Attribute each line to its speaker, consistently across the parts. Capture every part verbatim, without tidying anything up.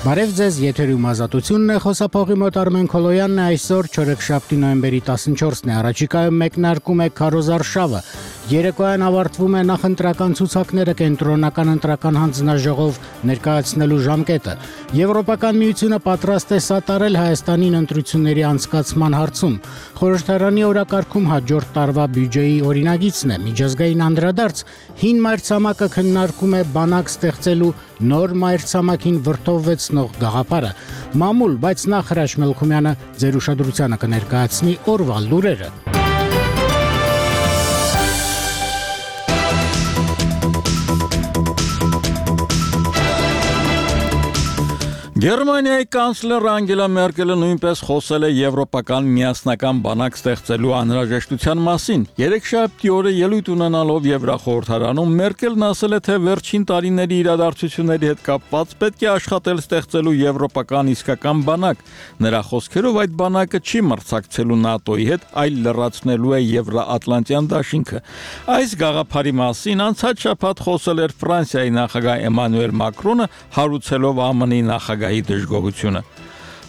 Speaker 1: Բարև ձեզ, եթերում ազատությունն է, խոսափողի մոտ Արմեն Քոլոյանն է, այսօր չորեքշաբթի նոյեմբերի տասնչորսն է, առաջիկայում մեկնարկում է քարոզարշավը, երեկոյան ավարտվում է նախընտրական ցուցակները կենտրոնական ընտրական հանձնաժողով ներկայացնելու ժամկետը, Եվրոպական միությունը պատրաստ է սատարել Հայաստանին ընտրությունների անցկացման հարցում, խորհրդարանի օրակարգում հաջորդ տարվա բյուջեի օրինագիծն է, միջազգային անդրադարձ, հին մայրցամաքը քննարկում է բանակ ստեղծելու նոր մայրցամաքին վրդովվեցնող գաղափարը, մամուլ, բայց նախ Հրաչ Մելքումյանը ձեր ուշադրությանը կներկայացնի օրվա լուրերը։
Speaker 2: Գերմանիայի կանցլեր Անգելա Մերկելը նույնպես խոսել է եվրոպական միասնական բանակ ստեղծելու անհրաժեշտության մասին։ Երեքշաբթի օրը ելույթ ունենալով Եվրախորհրդարանում Մերկելն ասել է, թե վերջին տարիների իրադարձությունների հետ կապված պետք է աշխատել ստեղծելու եվրոպական իսկական բանակ։ Նրա խոսքերով այդ բանակը չի մրցակցելու ՆԱՏՕ-ի հետ, այլ լրացնելու է Եվրոատլանտյան դաշինքը։ Այս գաղափարի մասին անցած շաբաթ խոսել էր Ֆրանսիայի նախագահ Էմանուել Մակրոնը, հարուցելով ԱՄՆ-ի նախագահ դժգոհությունը։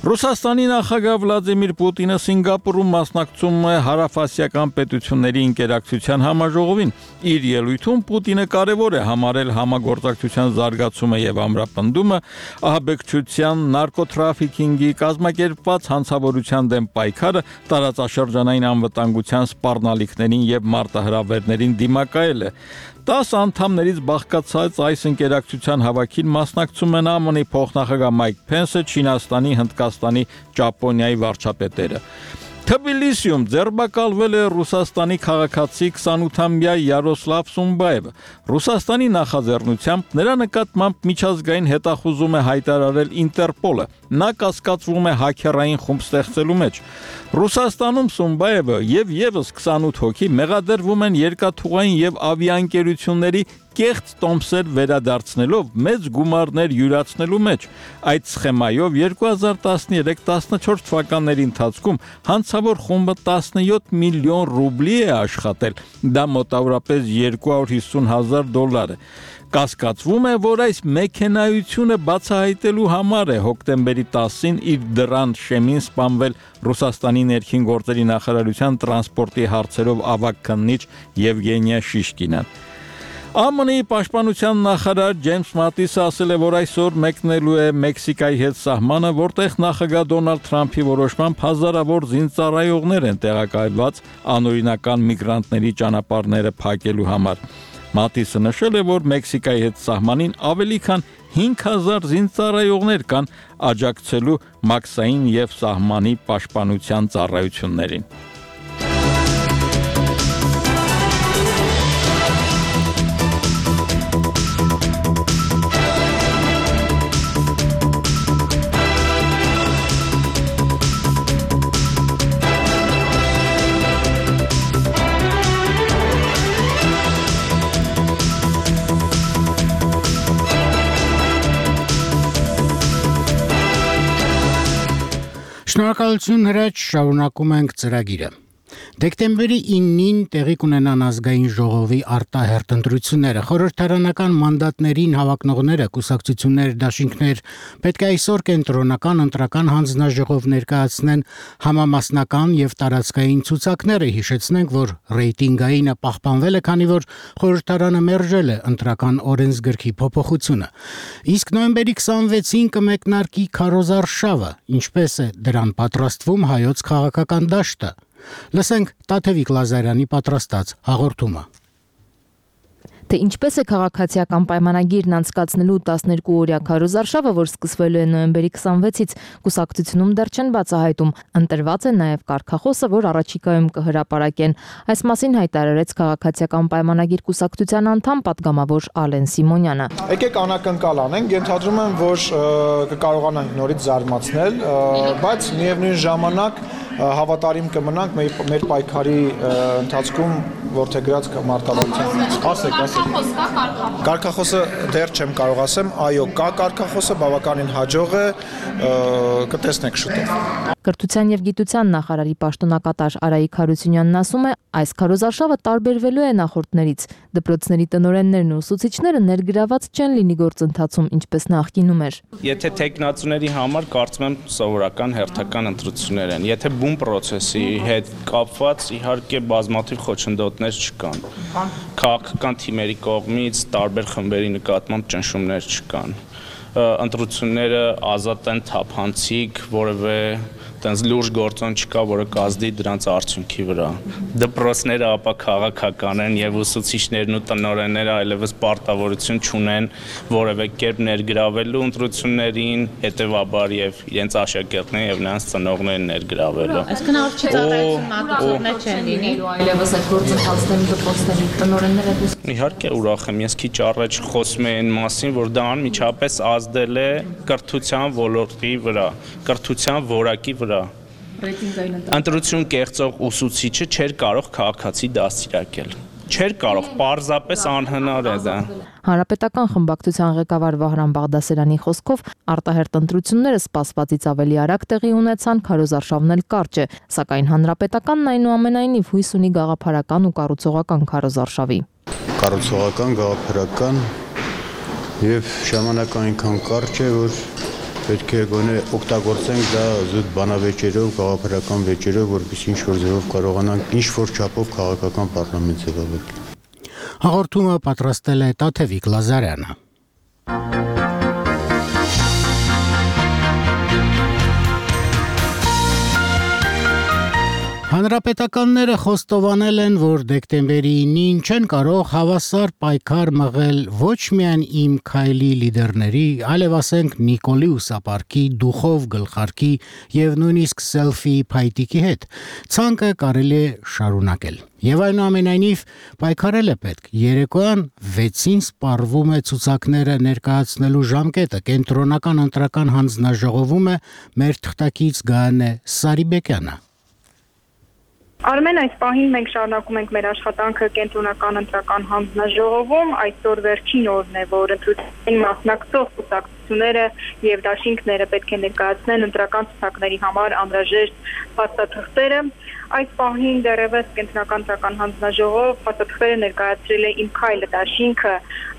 Speaker 2: Ռուսաստանի նախագահ Վլադիմիր Պուտինը Սինգապուրում մասնակցում է հարավասիական պետությունների ինտերակցիան համաժողովին։ Իր ելույթում Պուտինը կարևոր է համարել համագործակցության զարգացումը եւ ամրապնդումը, ահաբեկչության, նարկոտրաֆիքինգի, կազմակերպված հանցավորության դեմ պայքարը, տարածաշրջանային անվտանգության սպառնալիքներին եւ մարտահրավերներին դիմակայելը։ Տասը անդամներից բաղկացած այս ինտերակցիան հավաքին մասնակցում են ԱՄՆ-ի փոխնախագահ Մայք Փենսը, Չինաստանի, Հնդկաստանի, Ճապոնիայի վարչապետերը։ Թբիլիսիում ձերբակալվել է Ռուսաստանի քաղաքացի քսանութամյա Յարոսլավ Սումբաևը։ Ռուսաստանի նախաձեռնությամբ նրա նկատմամբ միջազգային հետախուզում է հայտարարել Ինտերպոլը։ Նա կասկածվում է հաքերային խումբ ստեղծելու մեջ։ Ռուսաստանում Սումբաևը եւ եւս քսանութ հոգի մեղադրվում են երկաթուղային եւ ավիաընկերությունների կեղծ տոմսեր վերադարձնելով մեծ գումարներ յուրացնելու մեջ։ Այդ սխեմայով երկու հազար տասներեք տասնչորս թվականների ընթացքում հանցավոր խումբը տասնյոթ միլիոն ռուբլի է աշխատել, դա մոտավորապես երկու հարյուր հիսուն հազար դոլար է։ Կասկածվում է, որ այս մեքենայությունը բացահայտելու համար է հոկտեմբերի տասին իր դռան շեմին սպանվել Ռուսաստանի ներքին գործերի նախարարության տրանսպորտի հարցերով ավագ քննիչ Եվգենիա Շիշկինան։ ԱՄՆ-ի պաշտպանության նախարար Ջեյմս Մատիսը ասել է, որ այսօր մեկնելու է Մեքսիկայի հետ սահմանը, որտեղ նախագահ Դոնալդ Թրամփի որոշմամբ հազարավոր զինծառայողներ են տեղակայված անօրինական միգրանտների ճանապարհները փակելու համար։ Մատիսը նշել է, որ Մեքսիկայի հետ սահմանին ավելի քան հինգ հազար զինծառայողներ կան աջակցելու մաքսային եւ սահմանի պաշտպանության ծառայություններին։
Speaker 1: Շնորհակալություն Հրաչ, շարունակում ենք ծրագիրը։ Դեկտեմբերի իննին տեղի կունենան ազգային ժողովի արտահերթ ընտրությունները։ Խորհրդարանական մանդատներին հավակնողները, կուսակցություններ, դաշինքներ պետք է այսօր կենտրոնական ընտրական հանձնաժողով ներկայացնեն համամասնական եւ տարածքային ցուցակները։ Հիշեցնենք, որ ռեյտինգայինը պահպանվել է, քանի որ խորհրդարանը մերժել է ընտրական օրենսգրքի փոփոխությունը։ Իսկ նոյեմբերի քսանվեցին կմեկնարկի քարոզարշավը, ինչպես է դրան պատրաստվում հայոց քաղաքական դաշտը։ Լսենք Տաթևիկ Լազարյանի պատրաստած հաղորդումը։
Speaker 3: Թե ինչպես է քաղաքացիական պայմանագիրն անցկացնելու տասներկուօրյա քարոզարշավը, որ սկսվելու է նոյեմբերի քսանվեցից, կուսակցությունում դեռ չեն բացահայտում։ Ընտրված է նաև կարգախոսը, որ առաջիկայում կհրապարակեն։ Այս մասին հայտարարեց քաղաքացիական պայմանագիր կուսակցության անդամ պատգամավոր Ալեն Սիմոնյանը։
Speaker 4: Եկեք անակնկալ անենք, ենթադրում եմ, որ կկարողանանք նորից զարմացնել, բայց միևնույն ժամանակ հավատարիմ կմնանք մեր, մեր պայքարի ընթացքում որդեգրած մարտավարության։ Ասեք, ասեք։ Կարգախոսը դեռ չեմ կարող ասեմ, այո, կա կարգախոսը, բավականին հաջող է, կտեսնեք շուտով։
Speaker 3: Կրթության եւ գիտության նախարարի պաշտոնակատար Արայիկ Հարությունյանն ասում է, այս քարոզարշավը տարբերվելու է նախորդներից։ Դպրոցների տնօրեններն ու ուսուցիչները ներգրաված չեն լինի գործընթացում, ինչպես նախկինում էր։
Speaker 5: Եթե տեխնացուների համար կարծում եմ սովորական հերթական ընտրություններ են։ Եթե բուն process-ի հետ կապված իհարկե բազմաթիվ խոչընդոտներ չկան։ Քաղաքական թիմերի կողմից տարբեր խմբերի նկատմամբ ճնշումներ չկան։ Ընտրությունները ազատ են, թափանցիկ, որևէ տենց լուրջ գործոն չկա, որը կազդի դրանց արդյունքի վրա։ Դպրոցները ապա քաղաքական են եւ ուսուցիչներն ու տնօրենները այլևս պարտավորություն չունեն որևէ կերպ ներգրավելու ընտրություններին, հետեւաբար եւ իրենց աշակերտներին եւ նրանց ծնողներին ներգրավելու։
Speaker 3: Այսինքն արդյոք ծառայություն մատուցողներ չեն լինելու այլևս այդ գործընթացների դպրոցների տնօրենները։
Speaker 5: Իհարկե ուրախ եմ, ես քիչ առաջ խոսում եմ այն մասին, որ դա անմիջապես ազդել է կրթության ոլորտի վրա, կրթության որակի վրա։ Ընտրություն կեղծող ուսուցիչը չէր կարող քաղաքացի դաստիարակել։ Չէր կարող, պարզապես անհնար է դա։
Speaker 3: Հանրապետական խմբակցության ղեկավար Վահրամ Բաղդասարյանի խոսքով արտահերտ ընտրությունները սպասվածից ավելի արագ տեղի ունեցան, քարոզարշավն էլ կարճ է, սակայն հանրապետականն այնուամենայնիվ հույս ունի գաղափարական ու կառուցողական քարոզարշավի։
Speaker 6: Կառուցողական, գաղափարական եւ ժամանակը այնքան կարճ է, որ պետք է գոնե օգտագործենք դա զուտ բանավեճերով, գաղափարական վեճերով, որպեսզի ինչ-որ ձևով կարողանանք ինչ-որ չափով քաղաքական պարլամենտ ձևավորել։
Speaker 1: Հաղորդումը պատրաստել է Տաթևիկ Լազարյանը։ Հանրապետականները խոստովանել են, որ դեկտեմբերի ինին չեն կարող հավասար պայքար մղել ոչ միայն Իմ քայլի լիդերների, այլև ասենք Նիկոլի Ուսապարկի, Դուխով գլխարկի եւ նույնիսկ սելֆի փայտիկի հետ։ Ցանկը կարելի է շարունակել։ Եվ այնուամենայնիվ պայքարել է պետք։ Երեկոյան վեցին սպառվում է ցուցակները ներկայացնելու ժամկետը։ Կենտրոնական ընտրական հանձնաժողովում է մեր թղթակից Գայանե Սարիբեկյանը։
Speaker 7: Արմեն, այս պահին մենք շարունակում ենք մեր աշխատանքը կենտրոնական ընտրական հանձնաժողովում, այսօր վերջին օրն է, որ ընտրություններին մասնակցող կուսակցությունները եւ դաշինքները պետք է ներկայացնեն ընտրական ցուցակների համար անհրաժեշտ փաստաթղթերը։ Այս պահին դեռևս կենտրոնական ընտրական հանձնաժողով փաստաթղթերը ներկայացրել է Իմ քայլը դաշինքը,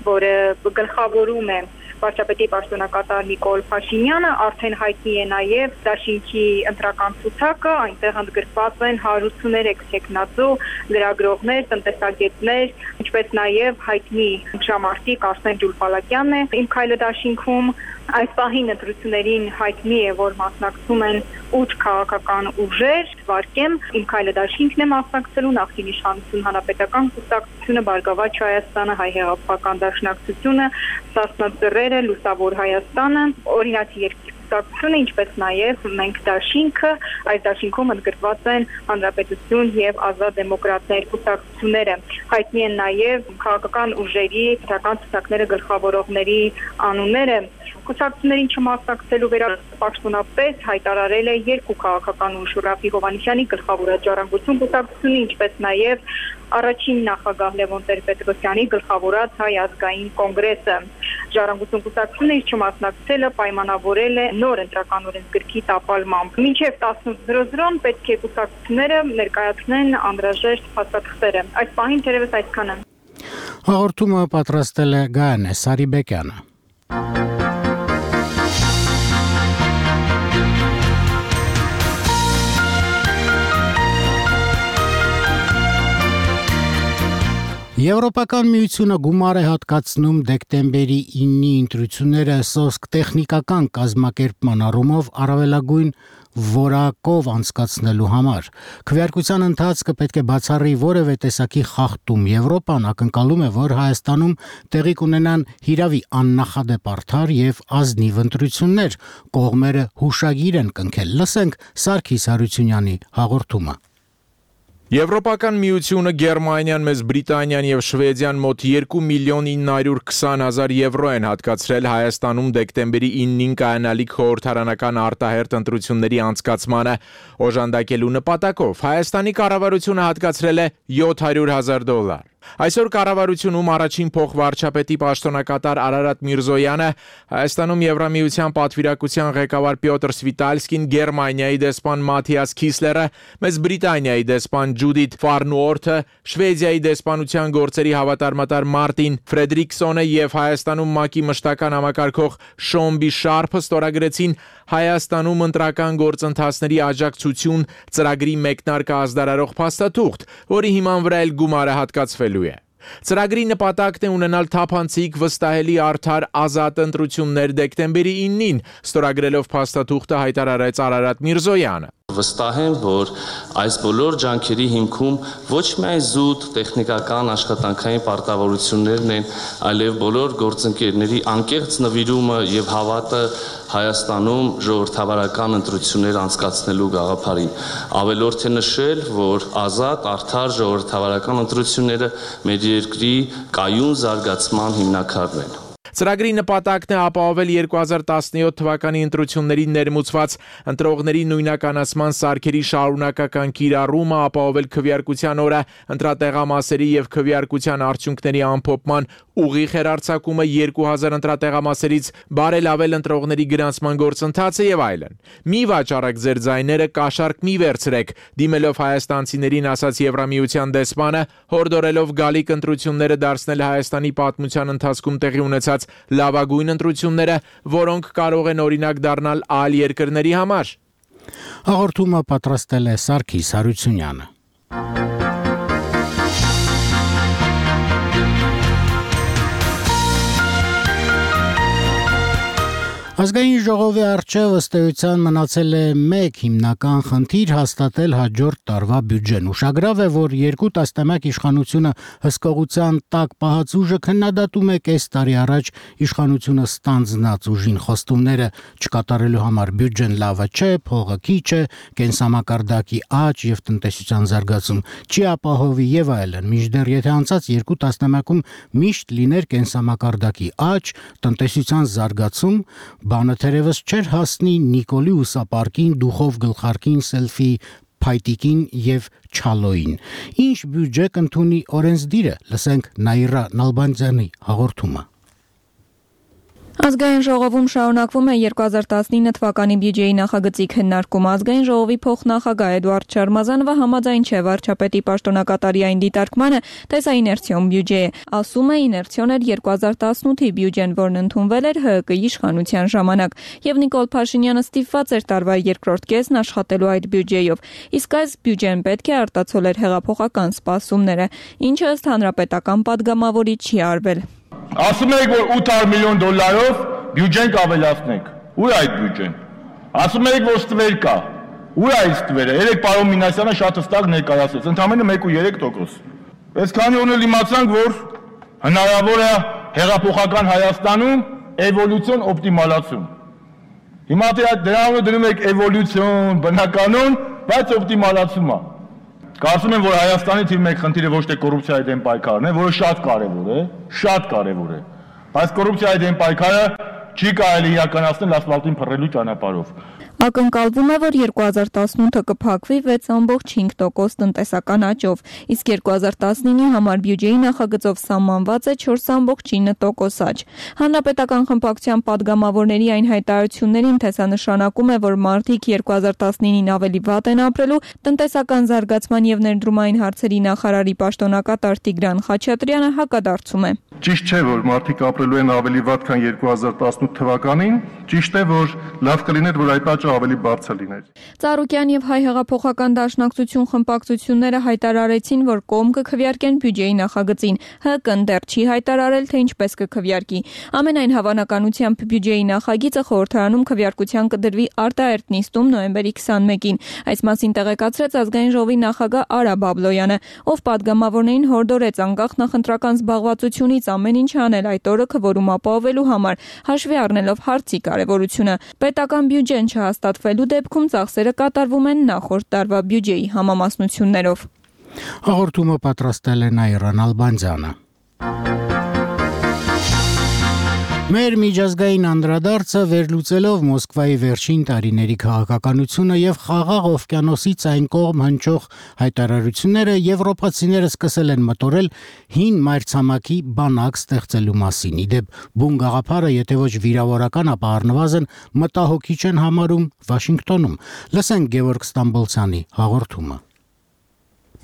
Speaker 7: որը գլխավորում է վարչապետի պաշտոնակատար Նիկոլ Փաշինյանը, արդեն հայտնի է նաև դաշինքի ընտրական ցուցակը, այնտեղ ընդգրկված են հարյուրություններեք տեխնացու, լրագրողներ, տնտեսագետներ, ինչպես նաև հայտնի հրամանատար Կարսեն Ջուլպալակյանն է Իմ քայլը դաշինքում։ Այս պահին ընտրություններին հայտնի է, որ մասնակցում են ութ քաղաքական ուժեր, վարկեմ Իմ քայլը դաշինքն է մասնակցելու, նախկին իշխանություն հանրապետական կուսակցությունը, Բարգավաճ Հայաստանը, Հայ հեղափոխական դաշնակցությունը, Սասնա Ծռերը, Լուսավոր Հայաստանը, Օրինացի երկիր կուսակցությունը, ինչպես նաև մենք դաշինքը, այս դաշինքում ընդգրկված են Հանրապետություն եւ Ազատ դեմոկրատներ կուսակցությունները։ Հայտնի են նաև քաղաքական ուժերի ընտրական ցուցակները գլխավորողների անունները։ Կուսակցություններին չմասնակցելու վերապաշտոնապես հայտարարել է երկու քաղաքական ուժ Ռաֆի Հովհաննիսյանի գլխավորած Ժառանգություն կուսակցությունը, ինչպես նաև առաջին նախագահ Լևոն Տեր-Պետրոսյանի գլխավորած Հայ ազգային կոնգրեսը։ Ժառանգություն կուսակցությունը իր չմասնակցելը պայմանավորել է նոր ընտրական օրենսգրքի տապալմամբ։ Մինչև տասնութ պետք է կուսակցությունները ներկայացնեն անհրաժեշտ փաստաթղթերը։ Այս պահին թերևս այսքանը։
Speaker 1: Հաղորդումը պատրաստել է Գայանե Սարիբեկյանը։ Եվրոպական միությունը գումար է հատկացնում դեկտեմբերի իննի ընտրությունները սոսկ տեխնիկական կազմակերպման առումով առավելագույն որակով անցկացնելու համար։ Քվեարկության ընթացքը պետք է բացառի որևէ տեսակի խախտում։ Եվրոպան ակնկալում է, որ Հայաստանում տեղի կունենան հիրավի աննախադեպ արդար եւ ազնիվ ընտրություններ։ Կողմերը հուշագիր են կնքել։ Լսենք Սարգիս Հարությունյանի հաղորդումը։
Speaker 8: Եվրոպական միությունը, Գերմանիան, Մեծ Բրիտանիան եւ Շվեդիան մոտ երկու միլիոն ինը հարյուր քսան հազար եվրո են հատկացրել Հայաստանում դեկտեմբերի իննին կայանալիք խորհրդարանական արտահերթ ընտրությունների անցկացմանը օժանդակելու նպատակով։ Հայաստանի կառավարությունը հատկացրել է յոթ հարյուր հազար դոլար։ Այսօր կառավարությունում առաջին փոխվարչապետի պաշտոնակատար Արարատ Միրզոյանը, Հայաստանում Եվրամիության պատվիրակության ղեկավար Պյոտր Սվիտալսկին, Գերմանիայի դեսպան Մաթիաս Քիսլերը, Մեծ Բրիտանիայի դեսպան Ջուդիթ Ֆարնուորթը, Շվեդիայի դեսպանության գործերի հավատարմատար Մարտին Ֆրեդրիկսոնը եւ Հայաստանում ՄԱԿ-ի մշտական համակարգող Շոմբի Շարփը ստորագրեցին Հայաստանում ընտրական գործընթացների աջակցություն ծրագրի մեկնարկը ազդարարող փաստաթուղթ, որի հիման վրա էլ գումարը հատկացվելու է։ Ծրագրի նպատակն է ունենալ թափանցիկ, վստահելի, արդար, ազատ ընտրություններ դեկտեմբերի իննին, ստորագրելով փաստաթուղթը հայտարարեց Արարատ Միրզոյանը։
Speaker 9: Վստահ եմ, որ այս բոլոր ջանքերի հիմքում ոչ միայն զուտ տեխնիկական աշխատանքային պարտավորություններն են, այլև բոլոր գործընկերների անկեղծ նվիրումը եւ հավատը Հայաստանում ժողովրդավարական ընտրություններ անցկացնելու գաղափարին։ Ավելորդ է նշել, որ ազատ, արդար ժողովրդավարական ընտրությունները մեր երկրի կայուն զարգացման հիմնաքարն են։
Speaker 8: Ծրագրի նպատակն է ապահովել երկու հազար տասնյոթ թվականի ընտրություններին ներմուծված ընտրողների նույնականացման սարքերի շարունակական կիրառումը, ապահովել քվեարկության օրը ընտրատեղամասերի եւ քվեարկության արդյունքների ամփոփման ուղիղ հեռարձակումը, երկու հազար ընտրատեղամասերից բարելավել ընտրողների գրանցման գործընթացը եւ այլն։ Մի վաճառեք ձեր ձայները, կաշառք մի վերցրեք, դիմելով հայաստանցիներին, ասաց Եվրամիության դեսպանը, հորդորելով գալիք ընտրությունները դարձնել Հայաստանի պատմության ընթացքում տեղի ունեցած լավագույն ընտրությունները, որոնք կարող են օրինակ դառնալ այլ երկրների համար։
Speaker 1: Հաղորդումը պատրաստել է Սարգիս Հարությունյանը։ Ազգային ժողովի առջև ըստ էության մնացել է մեկ հիմնական խնդիր՝ հաստատել հաջորդ տարվա բյուջեն։ Ուշագրավ է, որ երկու տասնամյակ իշխանությունը հսկողության տակ պահած ուժը քննադատում է կես տարի առաջ իշխանությունը ստանձնած ուժին խոստումները չկատարելու համար բյուջեն լավը չէ, փողը քիչ է, կենսամակարդակի աճ եւ տնտեսության զարգացում չի ապահովի եւ այլն։ Մինչդեռ եթե անցած երկու տասնամյակում միշտ լիներ կենսամակարդակի աճ, տնտեսության զարգացում, բանը թերևս չէր հասնի Նիկոլի ուսապարկին, դուխով գլխարկին, սելֆի փայտիկին եւ չալոին։ Ինչ բյուջե կընդունի օրենսդիրը, լսենք Նաիրա Նալբանդյանի հաղորդումը։
Speaker 10: Ազգային ժողովում շարունակվում է երկու հազար տասնինը թվականի բյուջեի նախագծի քննարկումը։ Ազգային ժողովի փոխնախագահ Էդուարդ Շարմազանովը համաձայն չէ վարչապետի պաշտոնակատարի այն դիտարկմանը, թե սա իներցիոն բյուջե է։ Ասում է, իներցիոն էր երկու հազար տասնութի բյուջեն, որն ընդունվել էր ՀՀԿ իշխանության ժամանակ, եւ Նիկոլ Փաշինյանը ստիպված էր տարվա երկրորդ կեսն աշխատելու այդ բյուջեով։ Իսկ այս բյուջեն պետք է արտացոլեր հեղափոխական սպասումները, ինչը ըստ հանրապետական падգամավորի չի արվել։
Speaker 11: Ասում եք, որ ութ հարյուր միլիոն դոլարով բյուջեն կավելացնենք։ Ու՞ր է այդ բյուջեն։ Ասում եք, որ ստվեր կա։ Ու՞ր է այդ ստվերը։ Երեք պարոն Մինասյանը շատ հստակ ներկայացրեց, ընդամենը մեկ ու երեք տոկոս։ Այսքանի օրներ իմացանք, որ հնարավոր է հեղափոխական Հայաստանում էվոլյուցիոն օպտիմալացում։ Հիմա դրանով դնում եք էվոլյուցիոն, բնականon, բայց օպտիմալացում է։ Կարծում եմ, որ Հայաստանի թիվ մեկ խնդիրը ոչ թե կոռուպցիայի դեմ պայքարն է, որը շատ կարևոր է, շատ կարևոր է։ Բայց կոռուպցիայի դեմ պայքարը չի կարելի իրականացնել ասֆալտին փռելու ճանապարհով։
Speaker 10: Ակնկալվում է, որ երկու հազար տասնութը կփակվի վեց կόμ հինգ տոկոս տնտեսական աճով, իսկ երկու հազար տասնինի համար բյուջեի նախագծով սահմանված է չորս կόμ ինը տոկոս աճ։ Հանրապետական խմբակցության падգամավորների այն հայտարարություններին, թե սա նշանակում է, որ մարդիկ երկու հազար տասնինին ավելի վատ են ապրելու, տնտեսական զարգացման եւ ներդրումային հարցերի նախարարի պաշտոնակատար Տիգրան Խաչատրյանը հակադարձում է։
Speaker 11: Ճիշտ չէ, որ մարդիկ ապրելու են ավելի վատ, քան երկու հազար տասնութ թվականին, ճիշտ է, որ լավ կլիներ, որ այդ աճը ավելի բարձր լիներ։
Speaker 10: Ծառուկյան եւ Հայ հեղափոխական դաշնակցություն խմբակցությունները հայտարարեցին, որ կողմ կքվեարկեն բյուջեի նախագծին։ ՀԿ-ն դեռ չի հայտարարել, թե ինչպես կքվեարկի։ Ամենայն հավանականությամբ բյուջեի նախագիծը խորհրդարանում քվեարկության կդրվի արտահերթ նիստում նոյեմբերի քսանմեկին։ Այս մասին տեղեկացրեց Ազգային ժողովի նախագահ Արա Բաբլոյանը, ով падգամավորներին հորդորեց անկախ նախընտրական զբաղվածությունից ամեն ինչ անել այդ օրը քվորում ապահովելու համար, հաշվի առնելով հարցի կարևորությունը։ Պետական բյուջեն չհաստատվելու դեպքում ծախսերը կատարվում են նախորդ տարվա բյուջեի համամասնություններով։
Speaker 1: Հաղորդումը պատրաստել է Նաիրան Ալբանդյանը։ Մեր միջազգային անդրադարձը վերլուծելով Մոսկվայի վերջին տարիների քաղաքականությունը եւ խաղաղ օվկիանոսից այն կողմ հնչող հայտարարությունները, եվրոպացիները սկսել են մտորել հին մայրցամաքի բանակ ստեղծելու մասին։ Իդեպ բուն գաղափարը, եթե ոչ վիրավորական, ապա առնվազն մտահոգիչ են համարում Վաշինգտոնում։ Լսենք Գևորգ Ստամբոլցյանի հաղորդումը։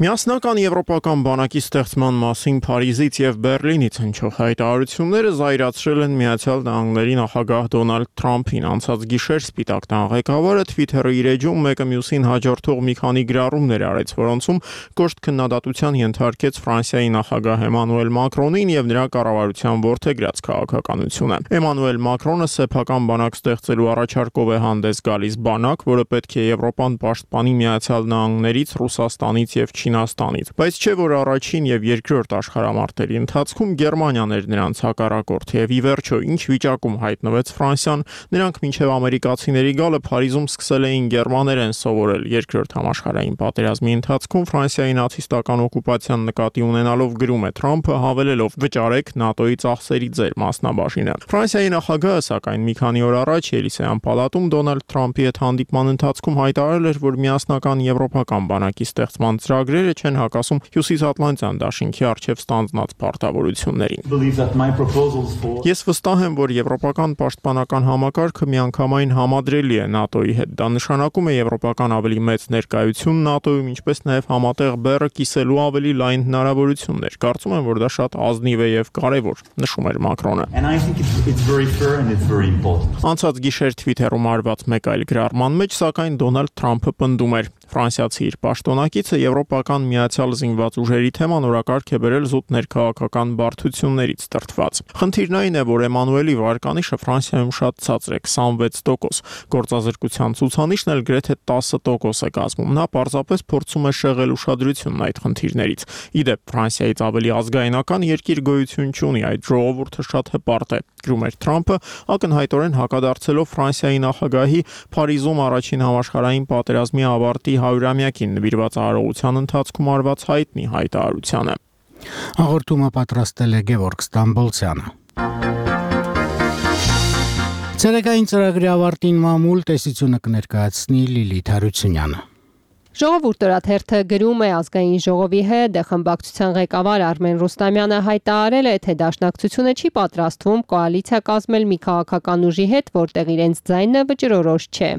Speaker 12: Միասնական եվրոպական բանակի ստեղծման մասին Փարիզից եւ Բերլինից հնչող հայտարարությունները զայրացրել են Միացյալ Նահանգների նախագահ Դոնալդ Թրամփին։ Անցած գիշեր Սպիտակ տան ղեկավարը Twitter-ի իր էջում մեկը մյուսին հաջորդող մի քանի գրառումներ արեց, որոնցում կոշտ քննադատության ենթարկեց Ֆրանսիայի նախագահ Էմանուել Մակրոնին եւ նրա կառավարության որդեգրած քաղաքականությունը։ Էմանուել Մակրոնը սեփական բանակ ստեղծելու առաջարկով է հանդես գալիս, բանակ, որը պետք է Եվրոպան պաշտպանի Միացյալ Նահանգներից, Ռուսաստանից եւ Չինաստանից, բայց չէ որ առաջին եւ երկրորդ աշխարհամարտերի ընթացքում Գերմանիան էր նրանց հակառակորդը եւ ի վերջո ինչ վիճակում հայտնվեց Ֆրանսիան, նրանք մինչեւ ամերիկացիների գալը Փարիզում սկսել էին գերմաներեն սովորել։ Երկրորդ համաշխարհային պատերազմի ընթացքում Ֆրանսիայի նացիստական օկուպացիան նկատի ունենալով գրում է Թրամփը, հավելելով վճարեք ՆԱՏՕ-ի ծախսերի ձեր մասնաբաժինը։ Ֆրանսիայի նախագահը սակայն մի քանի օր առաջ Ելիսեյան պալատում Դոնալդ Թրամփի հետ հանդիպման ընթացքում հայտարարել էր, որ միասնական եվրոպական բանակի ստեղծման ծրագրերը չեն հակասում Հյուսիսատլանտյան դաշինքի առջև ստանձնած պարտավորություններին։ Ես վստահ եմ, որ եվրոպական պաշտպանական համակարգը միանգամայն համադրելի է ՆԱՏՕ-ի հետ։ Դա նշանակում է եվրոպական ավելի մեծ ներկայություն ՆԱՏՕ-ում, ինչպես նաև համատեղ բեռը կիսելու ավելի լայն հնարավորություններ։ Կարծում եմ, որ դա շատ ազնիվ է եւ կարեւոր, նշում էր Մակրոնը։ Անցած գիշեր Twitter-ում արված մեկ այլ գրառման մեջ, սակայն Դոնալդ Թրամփը պնդում էր. Ֆրանսիացի իր պաշտոնակիցը եվրոպական միացյալ զինված ուժերի թեման օրակարգ է բերել զուտ ներքաղաքական բարդություններից տրտված։ Խնդիրն այն է, որ Էմանուելի վարկանիշը Ֆրանսիայում շատ ցածր է՝ քսանվեց տոկոս, գործազրկության ցուցանիշն էլ գրեթե տասը տոկոս է կազմում։ Նա պարզապես փորձում է շեղել ուշադրությունն այդ խնդիրներից։ Իդեպ Ֆրանսիայից ավելի ազգայնական երկիր գոյություն չունի, այդ ժողովուրդը շատ հպարտ է, գրում էր Թրամփը, ակնհայտորեն հակադարձելով Ֆրանսիայի նախագահի Փարիզում առաջին համաշխարհային պատերազմի ավարտի հարյուրամյակին նվիրված արարողության ընթացքում արված հայտնի հայտարարությանը։
Speaker 1: Հաղորդումը պատրաստել է Գևորգ Ստամբոլցյանը։ Ցերեկային ծրագրի ավարտին մամուլ տեսությունը կներկայացնի Լիլիթ Հարությունյանը։
Speaker 13: Ժողովուրդ օրաթերթը գրում է ազգային ժողովի հետ խմբակցության ղեկավար Արմեն Ռուստամյանը հայտարարել է, թե դաշնակցությունը չի պատրաստվում կոալիցիա կազմել մի քաղաքական ուժի հետ, որտեղ իրենց ձայնը վճռորոշ չէ։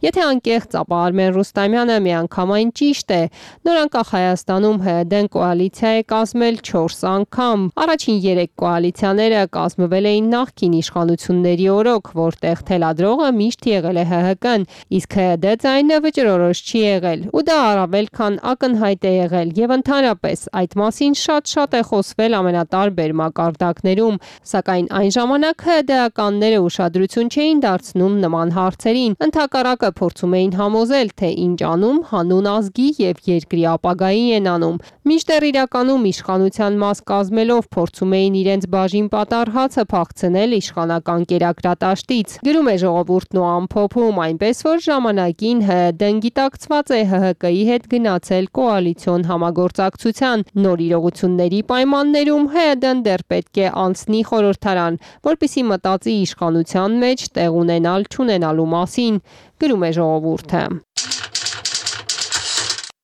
Speaker 13: Եթե անկեղծ, ապա Արմեն Ռուստամյանը միանգամայն ճիշտ է։ Նորանկախ Հայաստանում ՀՀԴ-ն կոալիցիա է կազմել չորս անգամ։ Առաջին երեք կոալիցիաները կազմվել էին նախկին իշխանությունների օրոք, որտեղ թելադրողը միշտ եղել է ՀՀԿ-ն, իսկ ՀՀԴ ձայնը վճռորոշ չի եղել։ Ու դա առավել քան ակնհայտ է եղել եւ ընդհանրապես այդ մասին շատ-շատ է խոսվել ամենատարբեր մակարդակներում, սակայն այն ժամանակ ՀԴ-ականները ուշադրություն չէին դարձնում նման հարցերին, ընդհակառակը փորձում էին համոզել, թե ինչ անում հանուն ազգի եւ երկրի ապագայի են անում, մինչդեռ իրականում իշխանության մաս կազմելով փորձում էին իրենց բաժին պատառ հացը փախցնել իշխանական կերակրատաշտից։ Գրում է ժողովուրդն ու ամփոփում, այնպես որ ժամանակին ՀԴ-ն գիտակցված է ՀՀԿ-ի հետ գնացել կոալիցիոն համագործակցության։ Նոր իրողությունների պայմաններում ՀՀԴ-ն դեռ պետք է անցնի խորհրդարան, որպեսզի մտածի իշխանության մեջ տեղ ունենալ չունենալու մասին, գրում է ժողովուրդը։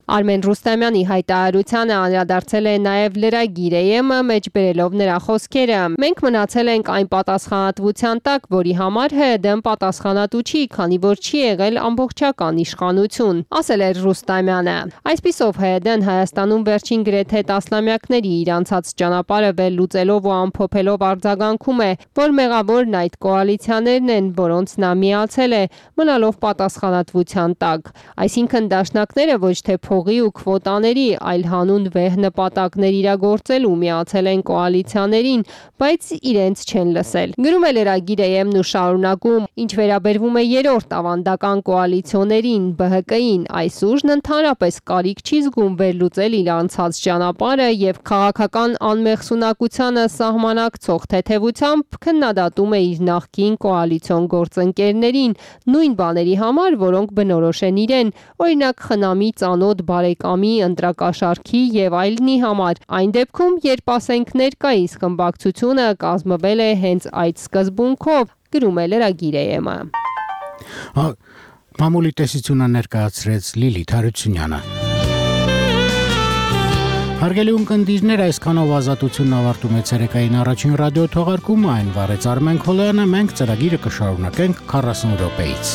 Speaker 13: Արմեն Ռուստամյանի հայտարարությանը անդրադարձել է նաև լրագիր ԵՄ-ը մեջ բերելով նրա խոսքերը. Մենք մնացել ենք այն պատասխանատվության տակ, որի համար ՀՀԴ-ն պատասխանատու չի, քանի որ չի եղել ամբողջական իշխանություն, ասել էր Ռուստամյանը։ Այսպիսով ՀՀԴ-ն Հայաստանում վերջին գրեթե տասնամյակների իր անցած ճանապարհը վերլուծելով ու ամփոփելով արձագանքում է, որ մեղավորն այդ կոալիցիաներն են, որոնց նա միացել է, մնալով պատասխանատվության տակ։ Այսինքն դաշնակները ոչ թե փողի ու քվոտաների, այլ հանուն վեհ նպատակներ իրագործելու միացել են կոալիցիաներին, բայց իրենց չեն լսել։ Գրում է լրագիրը ԵՄ-ն ու շարունակում, ինչ վերաբերվում է երրորդ ավանդական կոալիցիոներին, ԲՀԿ-ին, այս ուժն ընդհանրապես կարիք չի զգում վերլուծել իր անցած ճանապարհը եւ քաղաքական անմեղսունակությանը սահմանակցող թեթևությամբ քննադատում է իր նախկին կոալիցիոն գործընկերներին նույն բաների համար, որոնք բնորոշ են իրեն, օրինակ խնամի ծանոթ բարեկամի, ընտրակաշարքի եւ այլնի համար։ Այն դեպքում, երբ ասենք ներկայիս խմբակցությունը կազմվել է հենց այդ սկզբունքով, գրում է լրագիրը։
Speaker 1: Մամուլի տեսությունը ներկայացրեց Լիլիթ Հարությունյանը։ Հարգելի ունկնդիրներ, այսքանով ազատությունն ավարտում է ցերեկային առաջին ռադիո թողարկումը, այն վարեց Արմեն Քոլոյանը, մենք ծրագիրը կշարունակենք քառասուն րոպեից։